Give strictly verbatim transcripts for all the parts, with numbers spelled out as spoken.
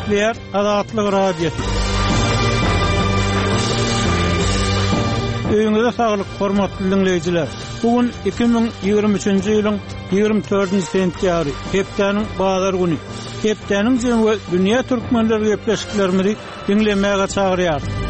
Gepleýär Azatlyk Radiosy. Öýüňize saglyk, hormatly diňleýjiler. Bu gün iki müň ýigrimi üçünji ýylyň ýigrimi dördünji sentýabry, hepdäniň bazar güni. Hepdäniň jemi we dünýä türkmenleri gepleşiklerimizi diňlemäge çagyrýarys.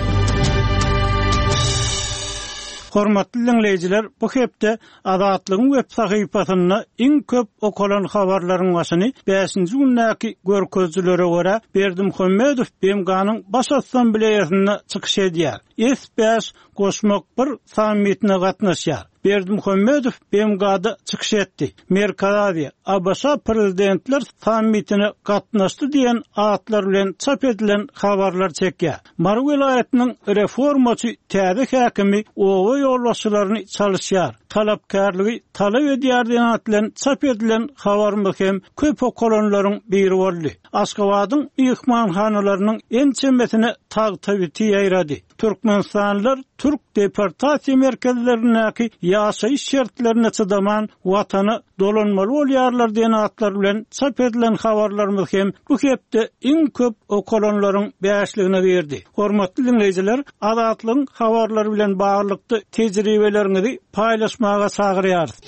Hormatly diňleýjiler, bu hepde Azatlygyň web sahypasynda iň köp okalan habarlaryň başyny bäşinji gündäki görkezijilere görä Berdimuhamedow B M G-nyň Baş Assambleýasynda çykyş edýär. S bäş goşmak bir sammitine gatnaşýar. Berdimuhamedow B M G-da çykyş etdi. Merkezi Aziýa, A B Ş prezidentler sammitine gatnaşdy diýen atlar bilen çap edilen habarlar çekýär. Mary welaýatynyň reformaçy täze häkimi oba ýolbaşçylaryny çalışýar. Talapkärligi talap edýär diýen at bilen çap edilen habarymyz hem köp okalanlaryň biri boldy. Aşgabadyň myhmanhanalarynyň ençemesine tagtabiti ýaýrady. Türkmenistanlylar Türk deportasiýa merkezlerindäki ýaşaýyş şertlerine çydaman watana dolanmaly bolýarlar diýen atlar bilen çap edilen habarlarymyz hem bu hepde iň köp okalanlaryň bäşligine girdi. Hormatly dinleýjiler, Azatlygyň habarlary bilen baglylykda tejribeleriňizi paýlaşmaga çagyrýarys.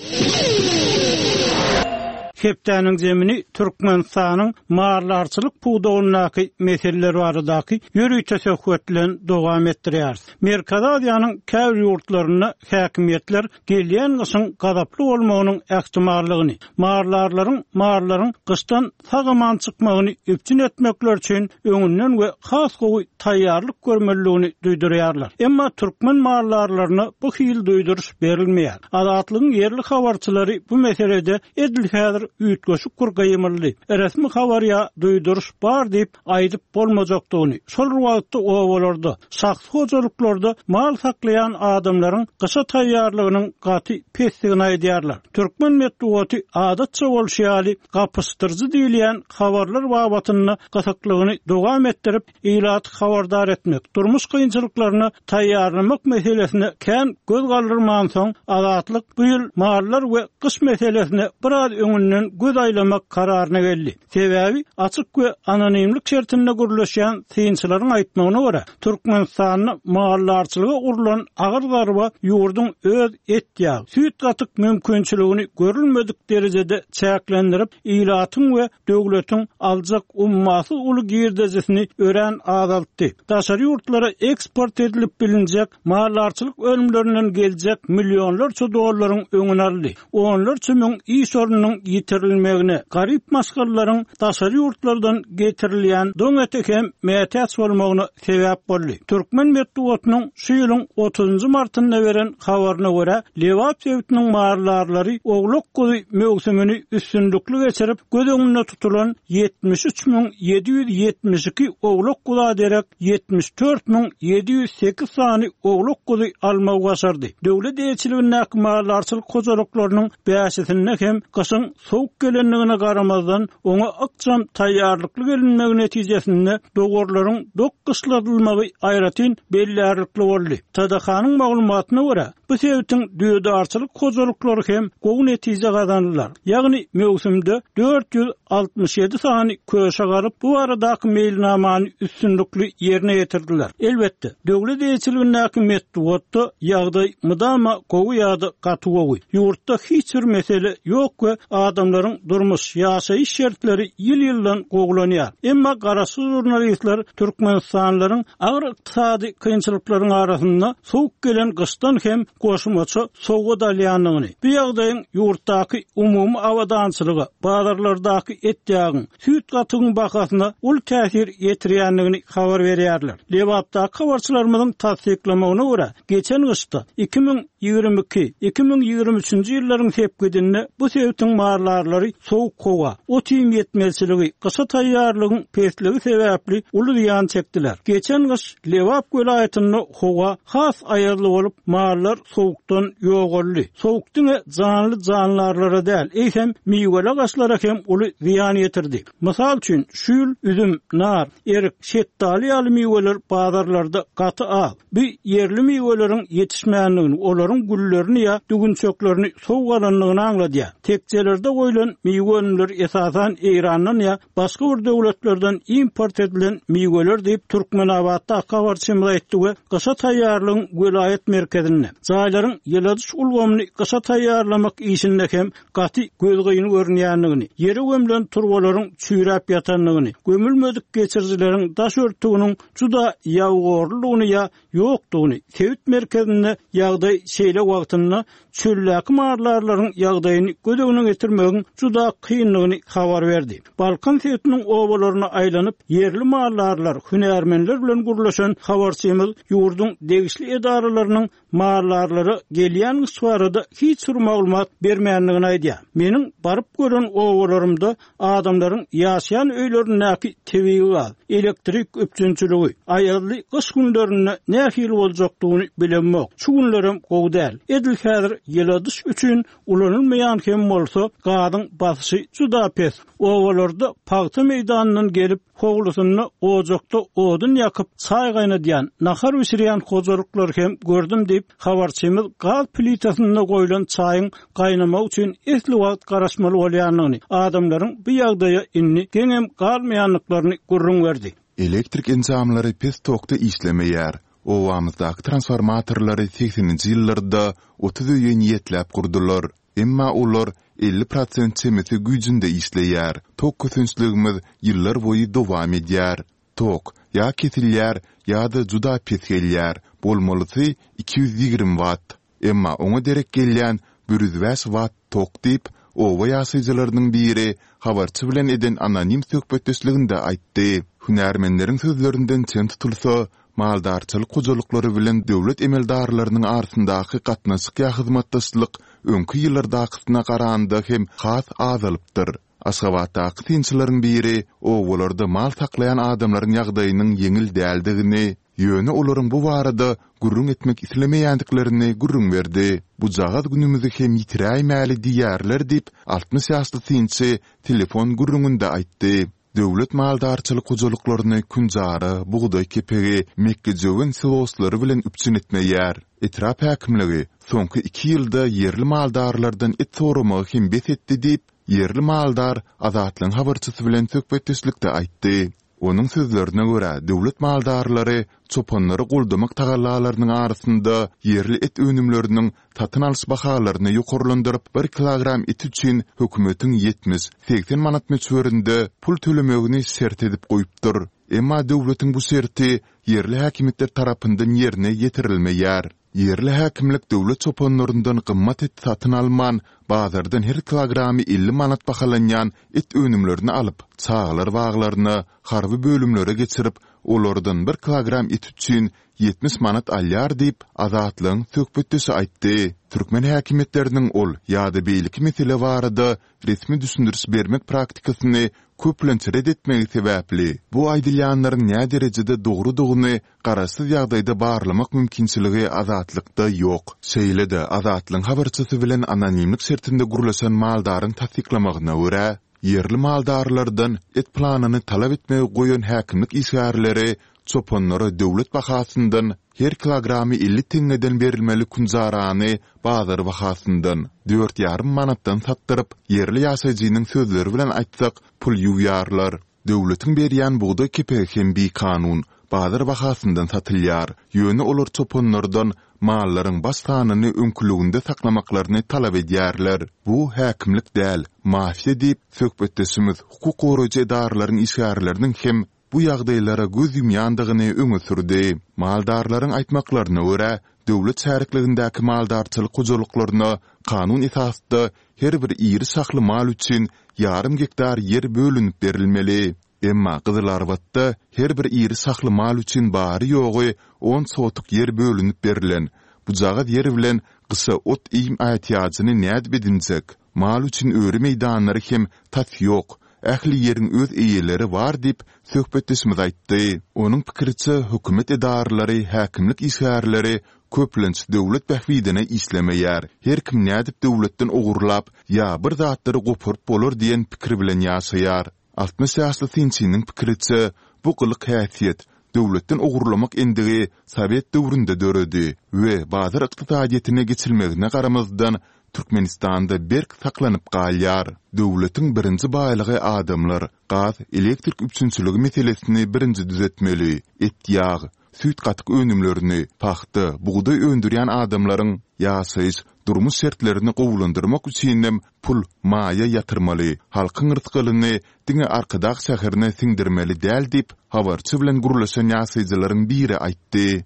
Hepdäniň zemini Türkmenistanyň maldarçylyk pudagyndaky meseleler baradaky ýörite söhbet bilen dowam etdirýäris. Merkezi Aziýanyň käbir ýurtlarynda häkimiýetler gelýän gyşyň gazaply bolmagynyň ähtimallygyny, maldarlaryň mallaryň gyşdan sag-aman çykmagyny üpjün etmekler üçin öňünden we has gowy taýýarlyk görmeliligini duýdurýarlar. Emma türkmen maldarlaryna bu hil duýduryş berilmeýär. Azatlygyň ýerli habarçylary bu meselede edil häzir üýtgeşik bir gyýymyldy. Resmi habar ýa duýduryş bar diýip aýdyp bolmajakdygyny, şol wagtda obalarda, şahsy hojalyklarda mal saklaýan adamlaryň gyşa taýýarlygynyň gaty pesdigini aýdýarlar. Türkmen metbugaty adatça bolşy ýaly gapyşdyryjy diýilýän habarlar babatynda gysyklygyny dowam etdirip, ilaty habardar etmek, durmuş kynçylyklaryna taýýarlamak meselesine kän göz galdyrman soň Azatlyk bu ýyl mallar we gyş meselesine biraz öňünden göz aýlamak kararyna geldi. Sebäbi açyk we anonimlik şertinde gürleşýän synçylaryň aýtmagyna görä, Türkmenistanda maldarçylyga urlan agyr zarba ýurduň öz et ýag, süýt gatyk mümkinçiligini görülmedik derejede çäklendirip, ilatyň we döwletiň aljak ummasyz uly girdejisini örän azaltdy. Daşary ýurtlara eksport edilip bilinjek maldarçylyk önümlerinden geljek milyonlarça dollaryň öňüni aldy. Onlarça müň iş ornunyň ýitirilmegine, garyp maşgalalaryň daşary ýurtlardan getirilýän doň eti hem mätäç bolmagyna sebäp boldy. Türkmen metbugatynyň şu ýylyň otuzynjy martynda beren habaryna görä, Lebap sebitiniň maldarlary oglak guzy möwsümini üstünlikli geçirip, göz öňünde tutulan ýetmiş üç müň ýedi ýüz ýetmiş iki oglak guza derek ýetmiş dört müň ýedi ýüz sekiz sany oglak guzy almagy başardy. Döwlet eýeçiligindäki maldarçylyk hojalyklarynyň bäşisinde hem gyşyň sowuk gelenligine garamazdan oňa ykjam taýýarlykly gelinmegi netijesinde dogurlaryň dok gyşladylmagy aýratyn bellärlikli boldy. T D K-nyň maglumatyna görä, bu sebitiň düýedarçylyk hojalyklary hem gowy netije gazandylar. Ýagny möwsümde dört ýüz altmyş ýedi sany köşe galyp, bu baradaky meýilnamany üstünlikli ýerine ýetirdiler. Elbetde, döwlet eýeçiligindäki metbugatda ýagdaý mydama gowy ýa-da gaty gowy. Ýurtda hiç bir mesele ýok we adamlaryň durmuş, ýaşaýyş şertleri ýyl-ýyldan gowulanýar. Emma garaşsyz jurnalistler Türkmenistanlylaryň agyr ykdysady kynçylyklaryň arasynda sowuk gelen gyşdan hem goşmaça sowgat alýandygyny, bu ýagdaýyň ýurtdaky umumy abadançylyga, bazarlardaky et ýagyň, süýt gatygyň bahasyna uly täsir ýetirýändigini habar berýärler. Lebapdaky habarçylarymyzyň tassyklamagyna görä, geçen gyşda iki müň ýigrimi iki, iki müň ýigrimi üçünji ýyllaryň sepgidinde bu sebitiň maldarlary sowuk howa, ot-iým ýetmezçiligi, gyşa taýýarlygyň pesligi sebäpli uly zyýan çekdiler. Geçen gyş Lebap welaýatynda howa has aýazly bolup, mallar sowukdan ýogaldy. Sowuk diňe janly jandarlara däl, eýsem miweli agaçlara hem uly zyýan ýetirdi. Mysal üçin, şu ýyl üzüm, nar, erik, şetdaly ýaly miweler bazarlarda gaty az. Bu ýerli miweleriň ýetişmändigini, olaryň güllerini ýa düwünçeklerini sowuk alandygyny aňladýar. Tekjelerde goýlan miwe önümleri esasan Eýrandan ýa başga bir döwletlerden import edilen miweler diýip Türkmenabatda habarçymyz aýtdy we gyşa taýýarlygyň welaýat merkezinde jaýlaryň ýyladyş ulgamyny gyşa taýýarlamak işinde hem gaty gözgyny görünýändigini, ýere gömlen turbalaryň çüýräp ýatandygyny, gömülmedik geçirijileriň daş örtüginiň juda ýabygorludygyny ýa ýokdugyny, sebit merkezinde ýagdaý şeýle wagtynda çöldäki maldarlaryň ýagdaýyny göz öňüne getirmegiň juda kyndygyny habar berdi. Balkan sebitiniň obalaryna aýlanyp, ýerli maldarlar, hünärmenler bilen gürleşen habarçymyz ýurduň degişli edaralarynyň maldarlara gelýän gyş barada hiç bir maglumat bermändigini aýdýar. Meniň baryp gören obalarymda adamlaryň ýaşaýan öýlerindäki tebigy gaz, elektrik üpjünçiligi, aýazly gyş günlerinde nähili boljakdygyny bilemok. Şu günlerem gowy däl. Edil häzir ýyladyş üçin ulanylmaýan hem bolsa gazyň basyşy juda pes. Obalarda pagta meýdanyndan gelip, howlusynda ojakda odun ýakyp, çaý gaýnadýan, nahar bişirýän hojalyklar hem gördüm diýip, habarçymyz gaz plitasynda goýlan çaýyň gaýnamagy üçin esli wagt garaşmaly bolýandygyny, adamlaryň bu ýagdaýa indi geňem galmaýandyklaryny gürrüň berdi. Elektrik enjamlary pes tokda işlemeýär. Obamyzdaky transformatorlary segseninji ýyllarda otuz öýe niýetläp gurdular. Emma olar elli prosent çemesi güýjünde işleýär. Tok kösençligimiz ýyllar boýy dowam edýär. Tok ýa kesilýär, ýa-da juda pes gelýär. Bolmalysy iki ýüz ýigrimi watt. Emma oňa derek gelýän bir ýüz bäş watt tok diýip, oba ýaşaýjylarynyň biri habarçy bilen eden anonim söhbetdeşliginde aýtdy. Hünärmenleriň sözlerinden çen tutulsa, maldarçylyk hojalyklary bilen döwlet emeldarlarynyň arasyndaky gatnaşyk ýa hyzmatdaşlyk öňki ýyllardakysyna garanda hem has azalypdyr. Aşgabatdaky synçylaryň biri obalarda mal saklaýan adamlaryň ýagdaýynyň ýeňil däldigini, ýöne olaryň bu barada gürrüň etmek islemeýändiklerini gürrüň berdi. Bujagaz günümizi hem ýitiräýmäli diýýärler diýip, altmyş ýaşly synçy telefon gürrüňinde aýtdy. Döwlet maldarçylyk hojalyklaryny künjara, bugdaý kepegi, mekgejöwen siloslary bilen üpjün etmeýär. Etrap häkimligi soňky iki ýylda ýerli maldarlardan et soramagy hem bes etdi diýip, ýerli maldar Azatlygyň habarçysy bilen söhbetdeşlikde aýtdy. Onuň sözlerine görä, döwlet maldarlary çopanlary goldamak tagallalarynyň arasynda ýerli et önümleriniň satyn alyş bahalaryny ýokarlandyryp, bir kilogram et üçin hökümetiň ýetmiş, segsen manat möçberinde pul tölemegini şert edip goýupdyr. Emma döwletiň bu şerti ýerli häkimiýetler tarapyndan ýerine ýetirilmeýär. Ýerli häkimlik döwlet çopanlaryndan gymmat et satyn alman, bazardan her kilogramy elli manat bahalanýan et önümlerini alyp, çagalar baglaryna, harby bölümlere geçirip, olardan bir kilogram et üçin ýetmiş manat alýar diýip, Azatlygyň söhbetdeşi aýtdy. Türkmen häkimiýetleriniň ol ýa-da beýleki mesele barada resmi düşündiriş bermek praktikasyny köplenç ret etmegi sebäpli, bu aýdylýanlaryň näderejede dogrudygyny garaşsyz ýagdaýda barlamak mümkinçiligi Azatlykda ýok. Şeýle-de, Azatlygyň habarçysy bilen anonimlik şertinde gürleşen maldaryň tassyklamagyna görä, ýerli maldarlardan et planyny talap etmegi goýan häkimlik işgärleri çopanlara döwlet bahasyndan her kilogramy elli teňňeden berilmeli künjarany bazar bahasyndan, dört ýarym manatdan satdyryp, ýerli ýaşaýjynyň sözleri bilen aýtsak, pul ýuwýarlar. Döwletiň berýän bugdaý kepegi hem bikanun, bazar bahasyndan satylýar. Ýöne olar çopanlardan mallaryň baş sanyny öňküliginde saklamaklaryny talap edýärler. Bu häkimlik däl, mafiýa diýip, söhbetdeşimiz hukuk goraýjy edaralaryň işgärleriniň hem bu ýagdaýlara göz ýumýandygyny öňe sürdi. Maldarlaryň aýtmaklaryna görä, döwlet şärikligindäki maldarçylyk hojalyklaryna kanun esasda her bir iri şahly mal üçin ýarym gektar ýer bölünip berilmeli. Emma Gyzylarbatda her bir iri şahly mal üçin bary-ýogy on sotuk ýer bölünip berlen. Bujagaz ýer bilen gyşa ot-iým ätiýajyny nädip edinjek? Mal üçin öri meýdanlary hem tas ýok. Ähli ýeriň öz eýeleri bar diýip, söhbetdeşimiz aýtdy. Onuň pikiriçe, hökümet edaralary, häkimlik işgärleri köplenç döwlet bähbidine işlemeýär. Her kim nädip döwletden ogurlap ýa bir zatlary goparyp bolar diýen pikir bilen ýaşaýar. Altmyş ýaşly synçynyň pikiriçe, bu gylyk-häsiýet, döwletden ogurlamak endigi sowet döwründe döredi we bazar ykdysadyýetine geçilmegine garamazdan, Türkmenistanda berk saklanyp galýar. Döwletiň birinji baýlygy adamlar, gaz, elektrik üpjünçiligi meselesini birinji düzetmeli, et-ýag, süýt-gatyk önümlerini, pagta, bugdaý öndürýän adamlaryň ýaşaýyş, durmuş şertlerini gowulandyrmak üçinem pul, maýa ýatyrmaly, halkyň rysgalyny diňe Arkadag şäherine siňdirmeli däl diýip, habarçy bilen gürleşen ýaşaýjylaryň biri aýtdy.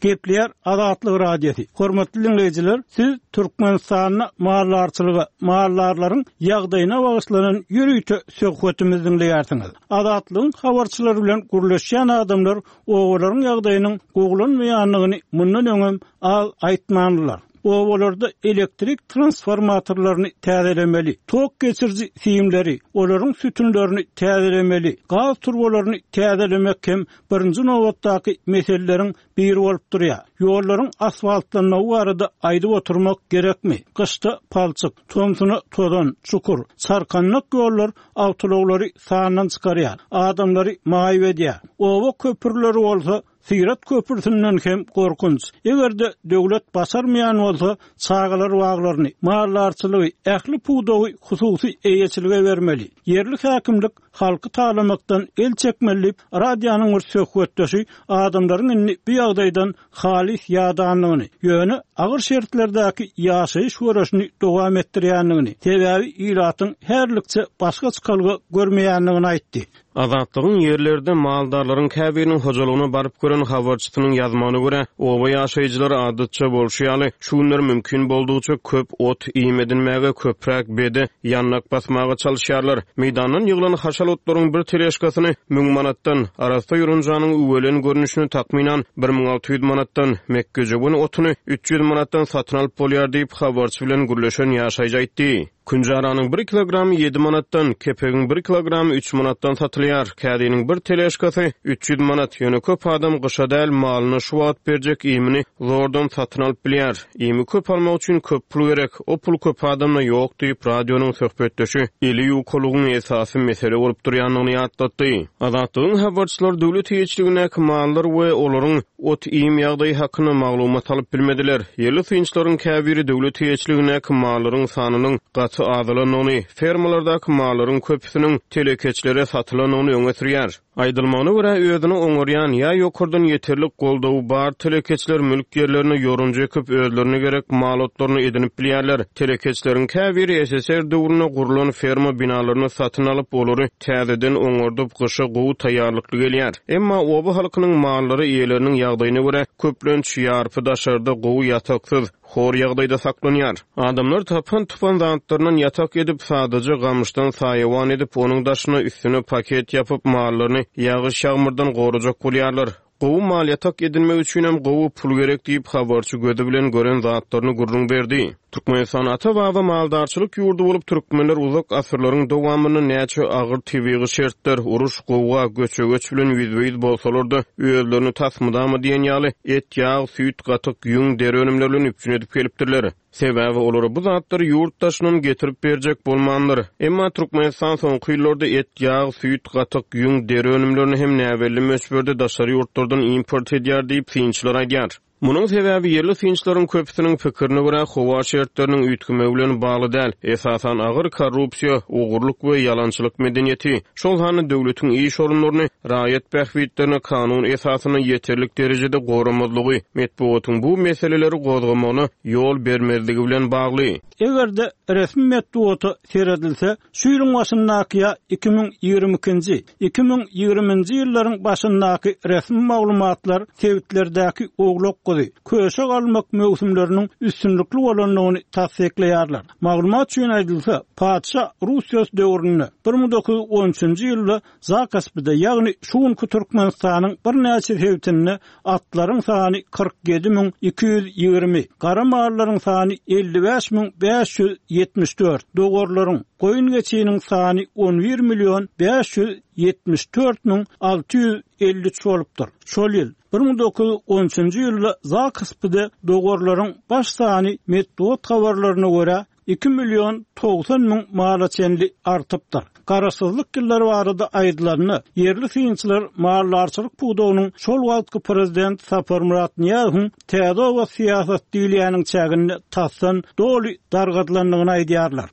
Gepleýär Azatlyk Radiosy. Hormatly diňleýjiler, siz Türkmenistanda maldarçylyga, maldarlaryň ýagdaýyna bagyşlanan ýörite söhbetimizi diňleýärsiňiz. Azatlygyň habarçylary bilen gürleşýän adamlar obalaryň ýagdaýynyň gowulanmaýandygyny mundan öňem az aýtmandylar. Obalarda elektrik transformatorlaryny täzelemeli, tok geçiriji simleri, olaryň sütünlerini täzelemeli, gaz turbalaryny täzelemek hem birinji nobatdaky meseleleriň biri bolup durýar. Ýollaryň asfaltlanmagy barada aýdyp oturmak gerekmi? Gyşda palçyk, tomsuna tozan, çukur, çarkandak ýollar awtoulaglary sandan çykarýar, adamlary maýyp edýär. Oba köprüleri bolsa Syrat köprüsinden hem gorkunç. Eger-de döwlet başarmaýan bolsa, çagalar baglaryny, maldarçylygy, ähli pudagy hususy eýeçilige bermeli. Ýerli häkimlik halky talamakdan el çekmeli diýip, radionyň bir söhbetdeşi adamlaryň indi bu ýagdaýdan halys ýadandygyny, ýöne agyr şertlerdäki ýaşaýyş göreşini dowam etdirýändigini, sebäbi ilatyň härlikçe başga çykalga görmeýändigini aýtdy. Azatlygyň ýerlerde maldarlaryň käbiriniň hojalygyna baryp gören habarçysynyň ýazmagyna görä, oba ýaşaýjylary adatça bolşy ýaly, şu günler mümkin boldugyça köp ot-iým edinmäge, köpräk bede, ýandak basmaga çalyşýarlar. Meýdandan ýyglan haşal otlaryň bir teležkasyny müň manatdan, arassa ýorunjanyň üwelen görnüşini takmynan bir müň alty ýüz manatdan, mekgejöwen otuny üç ýüz manatdan satyn alyp bolýar diýip, habarçy bilen gürleşen ýaşaýjy aýtdy. Künjaranyň bir kilogramy ýedi manatdan, kepegiň bir kilogramy üç manatdan satylýar. Kädiniň bir teležkasy üç ýüz manat. Ýöne köp adam gyşa däl, malyna şu wagt berjek iýmini zordan satyn alyp bilýär. Iými köp almak üçin köp pul gerek. O pul köp adamda ýok diýip, radionyň söhbetdeşi eli ýukalygyň esasy mesele bolup durýandygyny ýatlatdy. Azatlygyň habarçylary döwlet eýeçiligindäki mallar we olaryň ot-iým ýagdaýy hakynda maglumat alyp bilmediler. Ýerli synçylaryň käbiri döwlet eýeçiligindäki mallaryň sanynyň gaty azalandygyny, fermalardaky mallaryň köpüsiniň telekeçilere satylandygyny öňe sürýär. Aýdylmagyna görä, özüni oňarýan ýa ýokardan ýeterlik goldawy bar telekeçiler mülk ýerlerine ýorunja ekip, özlerine gerek mal otlaryny edinip bilýärler. Telekeçileriň käbiri S S R döwründe gurlan ferma binalaryny satyn alyp, olary täzeden oňardyp, gyşa gowy taýýarlykly gelýär. Emma oba halkynyň mallary eýeleriniň ýagdaýyna görä köplenç ýarpy daşarda gowy ýataksyz, hor ýagdaýda saklanýar. Adamlar tapan-tupan zatlaryndan ýatak edip, sadaja gamyşdan saýawan edip, onuň daşyna üstüne paket ýapyp, mallaryny ýagyş ýagmyrdan gorajak bolýarlar. Gowy mal ýatak edinmek üçinem gowy pul gerek diýip, habarçy gözi bilen gören zatlaryny gürrüň berdi. Türkmenistan ata-baba maldarçylyk ýurdy bolup, türkmenler uzak asyrlaryň dowamynda näçe agyr tebigy şertler, uruş, gowga, göçe-göç bilen ýüzbe-ýüz bolsalar-da, özlerini tas mydama diýen ýaly et, ýag, süýt, gatyk, ýüň, deri önümleri bilen üpjün edip gelipdirler. Sebäbi olara bu zatlary ýurt daşyndan getirip berjek bolmandyr. Emma Türkmenistan soňky ýyllarda et, ýag, süýt, gatyk, ýüň, deri önümlerini hem näbelli möçberde daşary ýurtlardan import edýär diýip synçylar aýdýar. Munuň sebäbi ýerli synçylaryň köpüsiniň pikirine görä howa şertleriniň üýtgemegi bilen bagly däl, esasan agyr korrupsiýa, ogurlyk we ýalançylyk medeniýeti, şol sanda döwletiň iş orunlaryny raýat bähbitlerine kanun esasynda ýeterlik derejede goramazlygy, metbugatyň bu meseleleri gozgamagyna ýol bermezligi bilen bagly. Eger-de resmi metbugata seredilse, şu ýylyň başyndaky ýa iki müň ýigrimi ikinji, iki müň ýigriminji ýyllaryň başyndaky resmi maglumatlar sebitlerdäki oglak guzy, köşek almak möwsümleriniň üstünlikli bolandygyny tassyklaýarlar. Maglumat üçin aýdylsa, patyşa Russiýasy döwründe bir müň dokuz ýüz on üçünji ýylda Zakaspide, ýagny şu günki Türkmenistanyň birnäçe sebitinde atlaryň sany kyrk ýedi müň iki ýüz ýigrimi, gara mallaryň sany elli bäş müň bäş ýüz ýetmiş dört, dowarlaryň, goýun geçiniň sany on bir million bäş ýüz ýetmiş dört müň alty ýüz elli üç bolupdyr. Şol ýyl bir müň dokuz ýüz on üçünji ýylda Zakaspide dowarlaryň baş sany metbugat habarlaryna görä iki million togsan müň mala çenli artypdyr. Garaşsyzlyk ýyllary barada aýdylanda, ýerli synçylar maldarçylyk pudagynyň şol wagtky prezident Saparmyrat Nyýazowyň täze oba syýasat diýilýäniň çäginde tasdan doly dargadylandygyny aýdýarlar.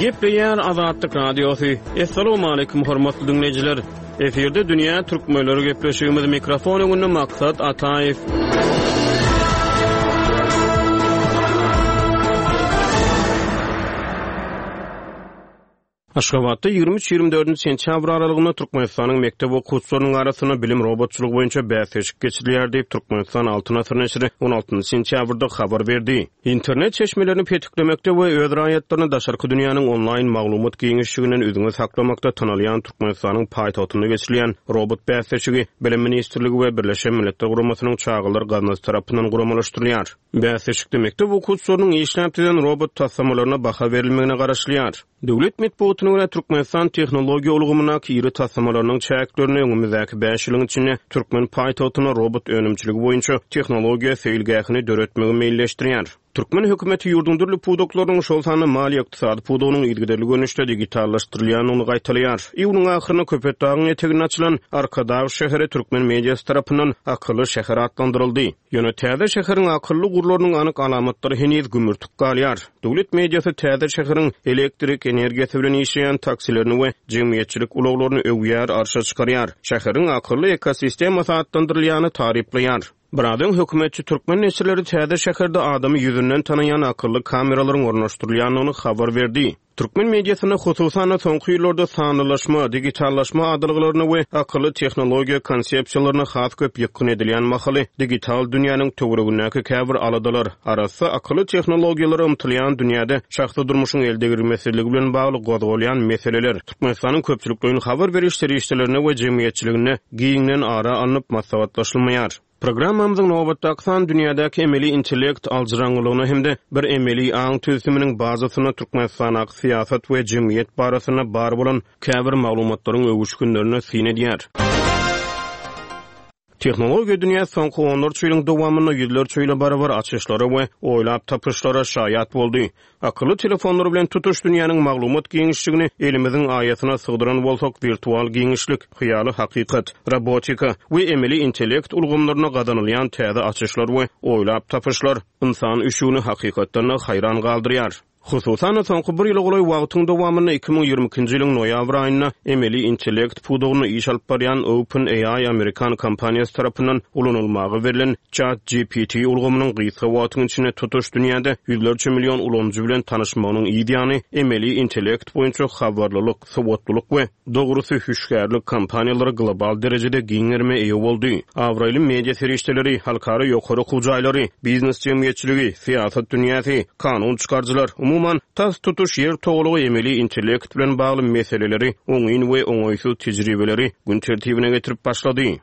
Gepleýär Azatlyk Radiosy. Essalamu aleýkum hormatly diňleýjiler. Efirde Dünýä Türkmenleri gepleşigimiz mikrofon öňünde Maksat Ataýew. Aşgabatda ýigrimi üç ýigrimi dördünji sentýabr aralygynda Türkmenistanyň mekdep okuwçylarynyň arasynda bilim robotçylygy boýunça bäsleşik geçirilýär diýip Türkmenistan Altyn Asyr neşiri on altynjy sentýabrda habar berdi. Internet çeşmelerini petiklemekde we öz raýatlaryny daşarky dünýäniň onlaýn maglumat giňişliginden üzňe saklamakda tanalýan Türkmenistanyň paýtagtynda geçirilýän robot bäsleşigi Bilim Ministrligi we Birleşen Milletler Guramasynyň Çagalar Gaznasy tarapyndan guramalaşdyrylýar. Bäsleşikde mekdep okuwçylarynyň işläp düzen robot taslamalaryna baha berilmegine garaşylýar. Döwlet metbugatyna görä Türkmenistan tehnologiýa ulgamyndaky iri taslamalarynyň çäklerinde öňümizdäki bäş ýylyň içinde türkmen paýtagtyna robot önümçiligi boýunça tehnologiýa seýilgähini döretmegi meýilleşdirýär. Türkmen hökümeti ýurduň dürli pudaklarynyň, şol sanda maliýe-ykdysady pudagynyň yzygiderli görnüşde digitallaşdyrylýandygyny gaýtalaýar. Iýunyň ahyrynda Köpetdagyň eteginde açylan Arkadag şäheri türkmen mediasy tarapyndan akylly şäher atlandyryldy. Ýöne täze şäheriň akylly gurlarynyň anyk alamatlary heniz gümürtik galýar. Döwlet mediasy täze şäheriň elektrik energiýasy bilen işleýän taksilerini we jemgyýetçilik ulaglaryny öwýär, arşa çykarýar. Şäheriň akylly ekosistemasy atlandyrylýany taryplaýar. Biraz öň hökümetçi türkmen neşirleri täze şäherde adamy ýüzünden tanaýan akylly kameralaryň ornaşdyrylýandygyny habar berdi. Türkmen mediasynda hususan soňky ýyllarda sanlylaşma, digitallaşma adalgalaryna we akylly tehnologiýa konsepsiýalaryna has köp ýykgyn edilýän mahaly digital dünýäniň töweregindäki käbir aladalar, arassa akylly tehnologiýalara ymtylýan dünýäde şahsy durmuşyň eldegrilmesizligi bilen bagly gozgalýan meseleler Türkmenistanyň köpçülikleýin habar beriş serişdelerine we jemgyýetçiligine giňden ara alnyp maslahatlaşylmaýar. Programmamyzyň nobatdaky san dünýädäki emeli intellekt aljyraňňylygyna hem-de bir emeli aň tüzüminiň bazasyna Türkmenistanyň syýasat we jemgyýet barasynda bar bolan käbir maglumatlaryň öwüşginlerine syn edýär. Tehnologiýa dünýä soňky onlarça ýylyň dowamynda ýüzlerçe ýyla barabar açyşlara we oýlap tapyşlara şaýat boldy. Akylly telefonlar bilen tutuş dünýäniň maglumat giňişligini elimiziň aýasyna sygdyran bolsak, wirtual giňişlik, hyýaly hakykat, robotika we emeli intellekt ulgamlaryna gazanylýan täze açyşlar we oýlap tapyşlar insan üşügini hakykatdan haýran galdyrýar. Hususan soňky bir ýyla golaý wagtyň dowamynda iki müň ýigrimi ikinji ýylyň noýabr aýynda emeli intellekt pudagyny iş alyp barýan OpenAI Amerikan kompaniýasy tarapyndan ulanylmaga berlen ChatGPT ulgamynyň gysga wagtyň içinde tutuş dünýäde ýüzlerçe million ulanyjy bilen tanyşmagynyň ýany emeli intellekt boýunça habarlylyk, sowatlylyk we dogrusy hüşgärlik kompaniýalary global derejede giň gerime eýe boldy. Abraýly media serişdeleri, halkara ýokary okuw jaýlary, biznes jemgyýetçiligi, syýasat dünýäsi, kanun çykaryjylar, umuman tas tutuş ýer togalygy emeli intellekt bilen bagly meseleleri, oňyn we oňaýsyz tejribeleri gün tertibine getirip başlady.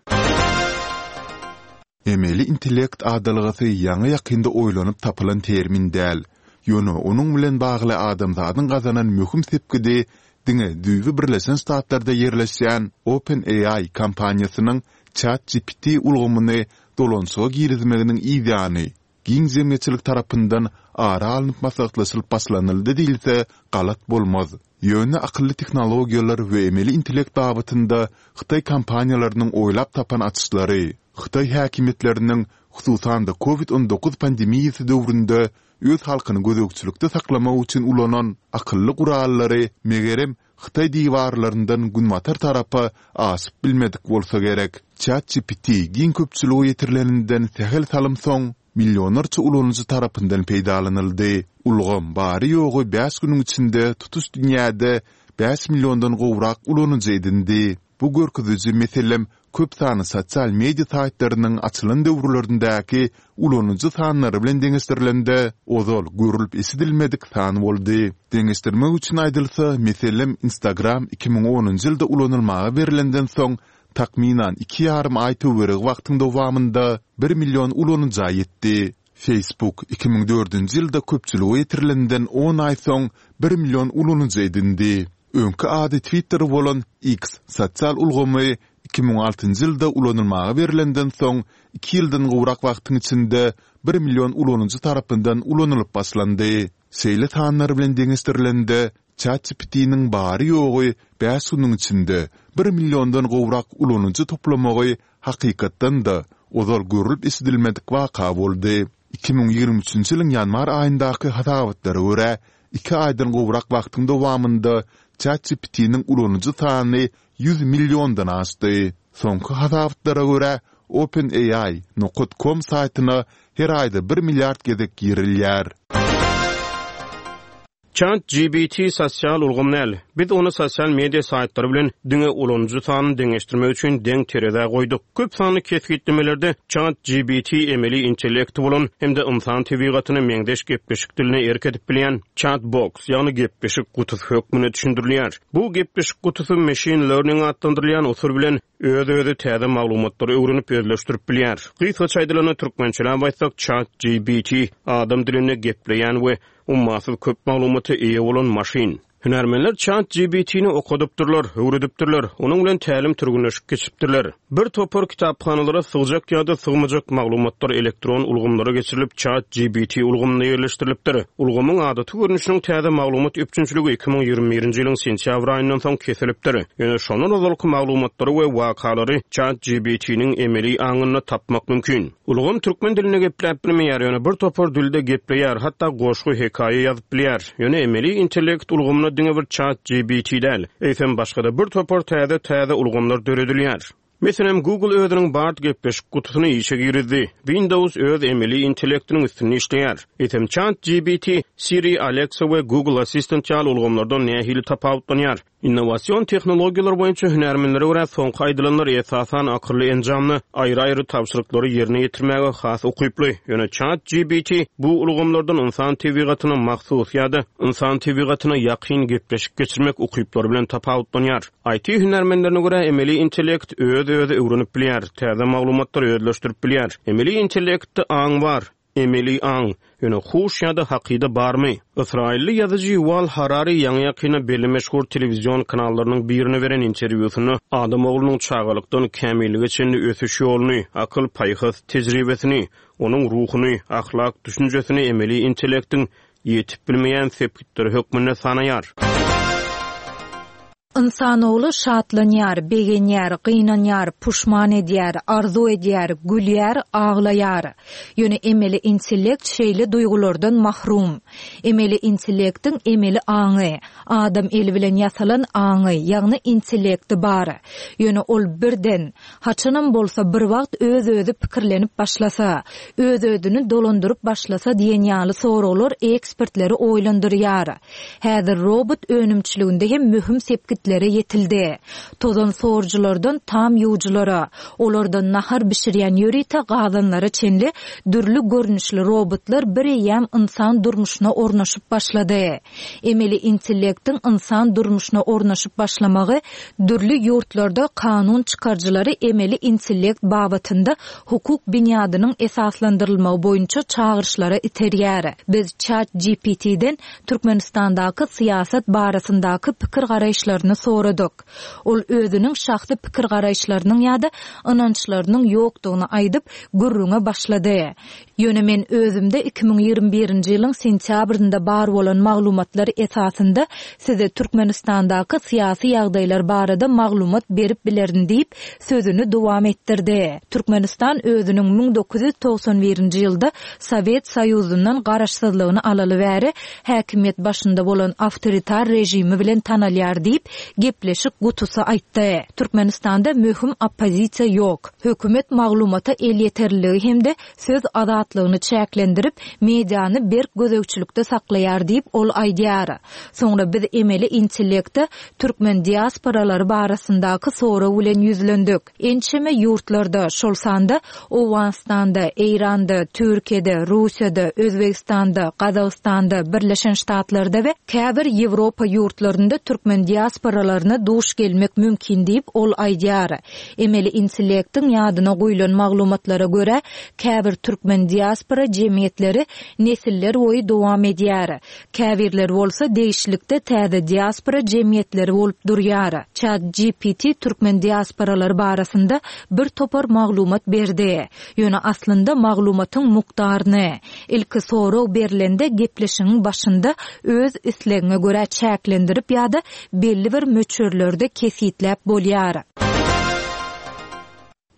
Emeli intellekt adalgasy ýaňy ýakynda oýlanyp tapylan termin däl. Ýöne onuň bilen bagly adamzadyň gazanan möhüm sepgidi diňe düýbi Birleşen Ştatlarda ýerleşýän OpenAI kompaniýasynyň ChatGPT ulgamyny dolanşyga girizmeginiň ýany giň jemgyýetçilik tarapyndan ara alnyp maslahatlaşylyp başlanyldy diýilse galat bolmaz. Ýöne akylly tehnologiýalar we emeli intellekt babatynda Hytaý kompaniýalarynyň oýlap tapan açyşlary, Hytaý häkimiýetleriniň hususan-da COVID on dokuz pandemiýasy döwründe öz halkyny gözegçilikde saklamak üçin ulanan akylly gurallary megerem Hytaý diwarlaryndan günbatar tarapa aşyp bilmedik bolsa gerek. ChatGPT giň köpçülige ýetirileninden sähel salym soň millionlarça ulanyjy tarapyndan peýdalanyldy. Ulgam bary-ýogy bäş günüň içinde tutuş dünýäde bäş milliondan gowrak ulanyjy edindi. Bu görkeziji, meselem, köp sanly sosial media saýtlarynyň açylan döwürlerindäki ulanyjy sanlary bilen deňeşdirilende, ozal görlüp-eşidilmedik san boldy. Deňeşdirmek üçin aýdylsa, meselem, Instagram iki müň onunjy ýylda ulanylmaga berlenden soň takmynan iki ýarym aý töweregi wagtyň dowamynda bir million ulanyja ýetdi. Facebook iki müň dördünji ýylda köpçülige ýetirilenden on aý soň bir million ulanyjy edindi. Öňki ady Twitter bolan X sosial ulgamy iki müň altynjy ýylda ulanylmaga berlenden soň iki ýyldan gowrak wagtyň içinde bir million ulanyjy tarapyndan ulanylyp başlandy. Şeýle sanlar bilen deňeşdirilende, ChatGPT-niň bary-ýogy bäş günüň içinde bir milliondan gowrak ulanyjy toplamagy hakykatdan-da, ozal görlüp-eşidilmedik waka boldy. Iki müň ýigrimi üçünji ýylyň ýanwar aýyndaky hasabatlara görä, iki aýdan gowrak wagtyň dowamynda ChatGPT-niň ulanyjy sany ýüz milliondan aşdy. Soňky hasabatlara görä, OpenAI nokat com saýtyna her aýda bir milliard gezek girilýär. ChatGPT sosial ulgam däl. Biz ony sosial media saýtlary bilen diňe ulanyjy sanyny deňeşdirmek üçin deň terezä goýduk. Köp sanly kesgitlemelerde ChatGPT emeli intellekti bolan hem-de ynsan tebigatyna meňzeş gepleşik diline erk edip bilýän chatbox, ýagny gepleşik gutusy hökmünde düşündirilýär. Bu gepleşik gutusy machine learning atlandyrylýan usul bilen öz-özi täze maglumatlary öwrenip özleşdirip bilýär. Gysgaça aýdylanda türkmençeläp aýtsak, ChatGPT adam dilinde gepleýän we ummasyz köp maglumata eýe bolan maşyn. Hünärmenler ChatGPT-ni okadypdyrlar, öwredipdirler, onuň bilen tälim türgünleşik geçipdirler. Bir topar kitaphanalara sygjak ýa-da sygmajak maglumatlar elektron ulgamlara geçirilip ChatGPT ulgamyna ýerleşdirilipdir. Ulgamyň adaty görnüşiniň täze maglumat üpjünçiligi iki müň ýigrimi birinji ýylyň sentýabr aýyndan soň kesilipdir. Ýöne şondan ozalky maglumatlary we wakalary ChatGPT-niň emeli aňynda tapmak mümkin. Ulgam türkmen dilinde gepläp bilmeýär, ýöne bir topar dilde gepleýär, hatda goşgy, hekaýa ýazyp bilýär. Ýöne emeli intellekt ulgamyna diňe bir ChatGPT däl, eýsem başga-da bir topar täze-täze ulgamlar döredilýär. Meselem, Google özüniň Bard gepleşik gutusyny işe girizdi. Windows öz emeli intellektiniň üstünde işleýär. Eýsem ChatGPT, Siri, Alexa we Google Assistant ýaly ulgamlardan nähili tapawutlanýar? Innowasion tehnologiýalar boýunça hünärmenlere görä soňky aýdylanlar esasan akylly enjamda aýry-aýry tabşyryklary ýerine ýetirmäge has ukyply. Ýöne ChatGPT bu ulgamlardan ynsan tebigatyna mahsus ýa-da ynsan tebigatyna ýakyn gepleşik geçirmek ukyplary bilen tapawutlanýar. I T hünärmenlerine görä emeli intellekt öz-özi öwrenip bilýär, täze maglumatlary özleşdirip bilýär. Emeli intellektde aň bar, emeli aň, ýöne huş ýa-da hakyda barmy? Ysraýylly ýazyjy Yuval Harari ýaňy-ýakynda belli meşhur telewizion kanallarynyň birine beren interwýusynda adam oglunyň çagalykdan kämillige çenli ösüş ýoluny, akyl paýhas tejribesini, onuň ruhuny, ahlak düşünjesini emeli intellektiň ýetip bilmeýän sepgitleri hökmünde sanaýar. Insanoğlu şatlanýar, begenýär, gynanýar, puşman edýär, arzu edýär, gülýär, aglaýar. Ýöne emeli intellekt şeýle duýgulardan mahrum. Emeli intellektiň emeli aňy, adam eli bilen ýasalan aňy, ýagny intellekti bar. Ýöne ol birden, haçanam bolsa bir wagt öz-özi pikirlenip başlasa, öz-özüni dolandyryp başlasa diýen ýaly soraglar ekspertleri oýlandyrýar. Häzir robot önümçiliginde hem möhüm sepgitlere ýetildi. Tozan sorujylardan tam ýuwujylara, olardan nahar bişirýän ýörite gazanlara çenli dürli görnüşli robotlar bir eýýäm insan durmuşyna ornaşyp başlady. Emeli intellektiň insan durmuşyna ornaşyp başlamagy dürli ýurtlarda kanun çykaryjylary emeli intellekt babatynda hukuk binýadynyň esaslandyrylmagy boýunça çagyryşlara iterýär. Biz ChatGPT-den Türkmenistandaky syýasat barasyndaky pikir garaýyşlaryny soradyk. Ol özüniň şahsy pikir garaýyşlarynyň ýa-da ynançlarynyň ýokdugyny aýdyp gürrüňe başlady. Ýöne men özümde iki müň ýigrimi birinji ýylyň sentýabrynda bar bolan maglumatlar esasynda size Türkmenistandaky syýasy ýagdaýlar barada maglumat berip bilerin diýip sözüni dowam etdirdi. Türkmenistan özüniň müň dokuz ýüz togsan birinji ýylda Sowet Soýuzyndan garaşsyzlygyny alaly bäri häkimiýet başynda bolan awtoritar režimi bilen tanalýar diýip, gepleşik gutusy aýtdy. Türkmenistanda möhüm oppozisiýa ýok. Hökümet maglumata elýeterliligi hem-de söz azatlygyny çäklendirip, mediany berk gözegçilikde saklaýar diýip, ol aýdýar. Soňra biz emeli intellekte türkmen diasporalary barasyndaky sorag bilen ýüzlendik. Ençeme ýurtlarda, şol sanda Owganystanda, Eýranda, Türkiýede, Russiýada, Özbegistanda, Gazagystanda, Birleşen Ştatlarda we käbir Ýewropa ýurtlarynda türkmen diasporalaryna duş gelmek mümkin diýip, ol aýdýar. Emeli intellektiň ýadyna guýlan maglumatlara görä, käbir türkmen diaspora jemgyýetleri nesiller boýy dowam edýär. Käbirleri bolsa degişlilikde täze diaspora jemgyýetleri bolup durýar. ChatGPT türkmen diasporalary barasynda bir topar maglumat berdi. Ýöne aslynda maglumatyň mukdaryny ilki sorag berlende gepleşigiň başynda öz islegiňe görä çäklendirip ýa-da belli bir möçberlerde kesgitläp bolýar.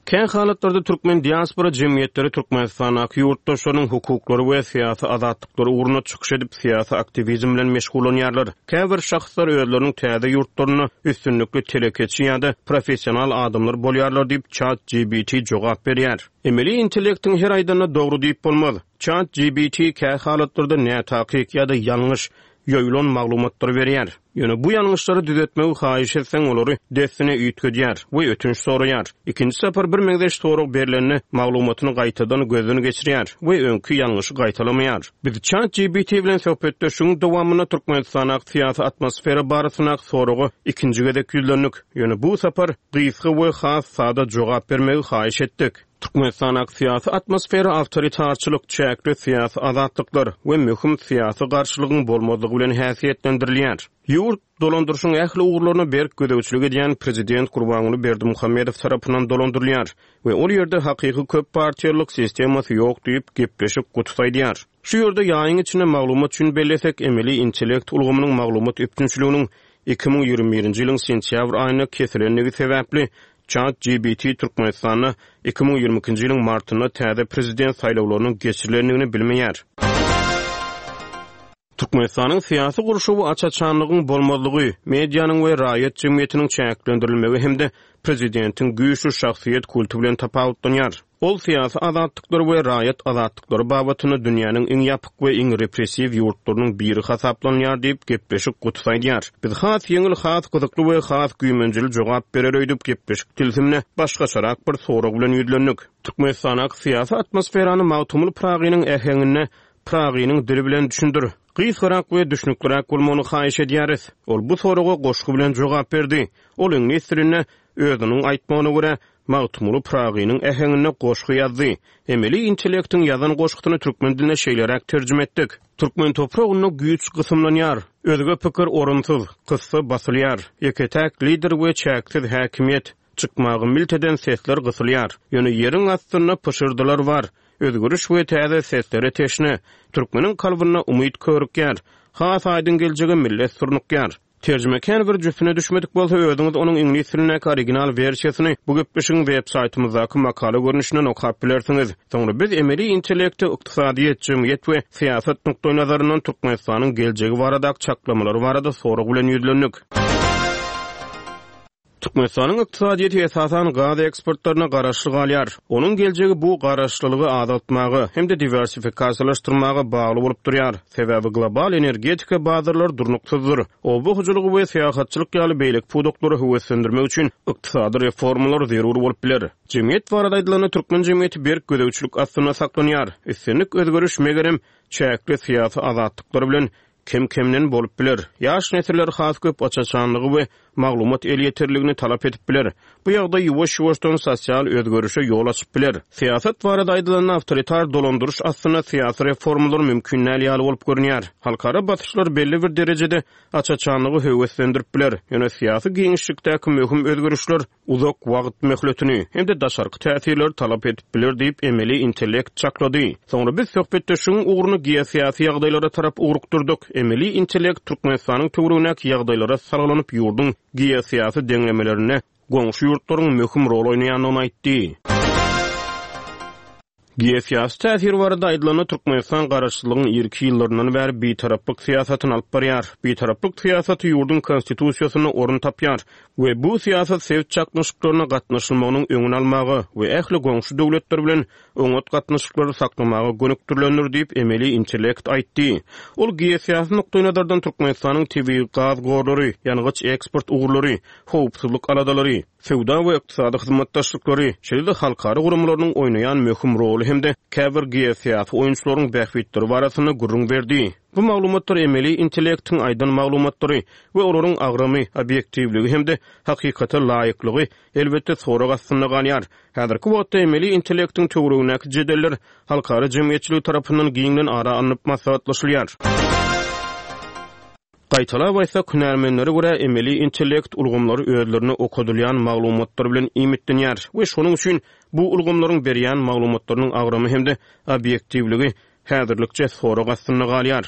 Kä halatlarda türkmen diaspora jemgyýetleri Türkmenistandaky ýurtdaşlarynyň hukuklary we syýasy azatlyklary ugrunda çykyş edip, syýasy aktiwizm bilen meşgullanýarlar. Käbir şahslar özleriniň täze ýurtlarynda üstünlikli telekeçi ýa-da professional adamlar bolýarlar diýip, ChatGPT jogap berýär. Emeli intellektiň her aýdanyna dogry diýip bolmaz. ChatGPT kä halatlarda nätakyk ýa-da ýalňyş ýoýulan maglumatlary berýär. Ýöne bu ýalňyşlary düzetmegi haýyş etseň, olary dessine üýtgedýär we ötünç soraýar. Ikinji sapar bir meňzeş sorag berlende maglumatyny gaýtadan gözden geçirýär we öňki ýalňyşy gaýtalamaýar. Biz ChatGPT bilen söhbetdeşligiň dowamynda Türkmenistandaky syýasy atmosfera barasyndaky soraga ikinji gezek ýüzlendik. Ýöne bu sapar gysga we has sada jogap bermegi haýyş etdik. Türkmenistandaky syýasy atmosfera awtoritarçylyk, çäkli syýasy azatlyklar we möhüm syýasy garşylygyň bolmazlygy bilen häsiýetlendirilýär. Ýurt dolandyryşyň ähli ugurlaryna berk gözegçilik edýän prezident Gurbanguly Berdimuhamedow tarapyndan dolandyrylýar we ol ýerde hakyky köp partiýalylyk sistemasy ýok diýip, gepleşik gutusy aýdýar. Şu ýerde ýaýyň içinde maglumat üçin bellesek, emeli intellekt ulgamynyň maglumat üpjünçiliginiň iki müň ýigrimi birinji ýylyň sentýabr aýynda kesilendigi sebäpli ChatGPT Türkmenistanda iki müň ýigrimi ikinji ýylyň martynda täze prezident saýlawlarynyň geçirilendigini bilmeýär. Türkmenistanyň syýasy gurşawy aç-açanlygyň bolmazlygy, medianyň we raýat jemgyýetiniň çäklendirilmegi hem-de prezidentiň güýçli şahsyýet kulty bilen tapawutlanýar. Ol syýasy azatlyklar we raýat azatlyklary babatynda dünýäniň iň ýapyk we iň repressiw ýurtlarynyň biri hasaplanýar diýip, gepleşik gutusy aýdýar. Biz has ýeňil, has gyzykly we has güýmenjeli jogap berer öýdüp, gepleşik tilsimine başgaçarak bir sorag bilen ýüzlendik. Türkmenistandaky syýasy atmosferany Magtymguly Pyragynyň äheňinde Pyragynyň dili bilen düşündir. Gysgarak we düşnükliräk bolmagyny haýyş edýäris. Ol bu soraga goşgy bilen jogap berdi. Ol iňlis dilinde özüniň aýtmagyna görä Magtymguly Pyragynyň äheňinde goşgy ýazdy. Emeli intellektiň ýazan goşgusyny türkmen diline şeýleräk terjime etdik. Türkmen topragynda güýç gysymlanýar, özge pikir orunsyz, kyssa basylýar. Ýeke-täk lider we çäksiz häkimiýet, çykmagy milt eden sesler gysylýar. Ýöne ýeriň astynda pyşyrdylar bar. Özgeriş we täze seslere teşne. Türkmeniň kalbynda umyt körükýär. Has aýdyň geljege millet surnukýar. Terjime kän bir jüpüne düşmedik bolsa, özüňiz onuň iňlis dilindäki original wersiýasyny bu gepleşigiň web saýtymyzdaky makala görnüşinden okap bilersiňiz. Soňra biz emeli intellekti, ykdysadyýet, jemgyýet we syýasat nukdaýnazaryndan Türkmenistanyň geljegi baradaky çaklamalary barada sorag bilen ýüzlendik. Türkmenistanyň ykdysadyýeti esasan gaz eksportlaryna garaşly galýar. Onuň geljegi bu garaşlylygy azaltmaga hem-de diwersifikasiýalaşdyrmaga bagly bolup durýar. Sebäbi global energetika bazarlary durnuksyzdyr. Oba hojalygy we syýahatçylyk ýaly beýleki pudaklary höweslendirmek üçin ykdysady reformalar zerur bolup biler. Jemgyýet barada aýdylanda türkmen jemgyýeti berk gözegçilik astynda saklanýar. Islendik özgeriş megerem çäkli syýasy azatlyklar bilen kem-kemden bolup biler. Ýaş nesiller has köp aç-açanlygy we maglumat elýeterligini talap edip biler. Bu ýagdaý ýuwaş-ýuwaşdan sosial özgerişe ýol açyp biler. Syýasat barada aýdylanda awtoritar dolandyryş astynda syýasy reformalar mümkin däl ýaly bolup görünýär. Halkara basyşlar belli bir derejede aç-açanlygy höweslendirip biler. Ýöne syýasy giňişlikdäki möhüm özgerişler uzak wagt möhletini hem-de daşarky täsirleri talap edip biler diýip emeli intellekt çaklady. Soňra biz söhbetdeşligiň ugruny geosyýasy ýagdaýlara tarap ugrukdyrdyk. Emeli intellekt Türkmenistanyň töweregindäki ýagdaýlara salgylanyp ýurduň geosyýasy deňlemelerinde goňşy ýurtlaryň möhüm rol oýnaýandygyny aýtdy. Geosyýasy täsir barada aýdylanda, Türkmenistan garaşsyzlygyň irki ýyllaryndan bäri bitaraplyk syýasatyny alyp barýar. Bitaraplyk syýasaty ýurduň Konstitusiýasynda orun tapýar we bu syýasat sebit çaknyşyklaryna gatnaşylmagynyň öňüni almaga we ähli goňşy döwletler bilen oňat gatnaşyklary saklamaga gönükdirilendir diýip, emeli intellekt aýtdy. Ol geosyýasy nukdaýnazardan Türkmenistanyň tebigy gaz gorlary, ýangyç eksport ugurlary, howpsuzlyk aladalary, söwda we ykdysady hyzmatdaşlyklary, şeýle-de halkara guramalarynyň oýnaýan möhüm roly hem-de käbir geosyýasy oýunçylaryň bähbitleri barasynda gürrüň berdi. Bu maglumatlar emeli intellektiň aýdan maglumatlary we olaryň agramy, obýektiwligi hem-de hakykata laýyklygy, elbetde, sorag astynda galýar. Häzirki wagtda emeli intellektiň töweregindäki jedeller halkara jemgyýetçiligi tarapyndan giňden ara alnyp maslahatlaşylýar. Gaýtalap aýtsak, hünärmenlere görä, emeli intellekt ulgamlary özlerine okadylýan maglumatlar bilen iýmitlenýär we şonuň üçin bu ulgamlaryň berýän maglumatlarynyň agramy hem-de obýektiwligi häzirlikçe sorag astynda galýar.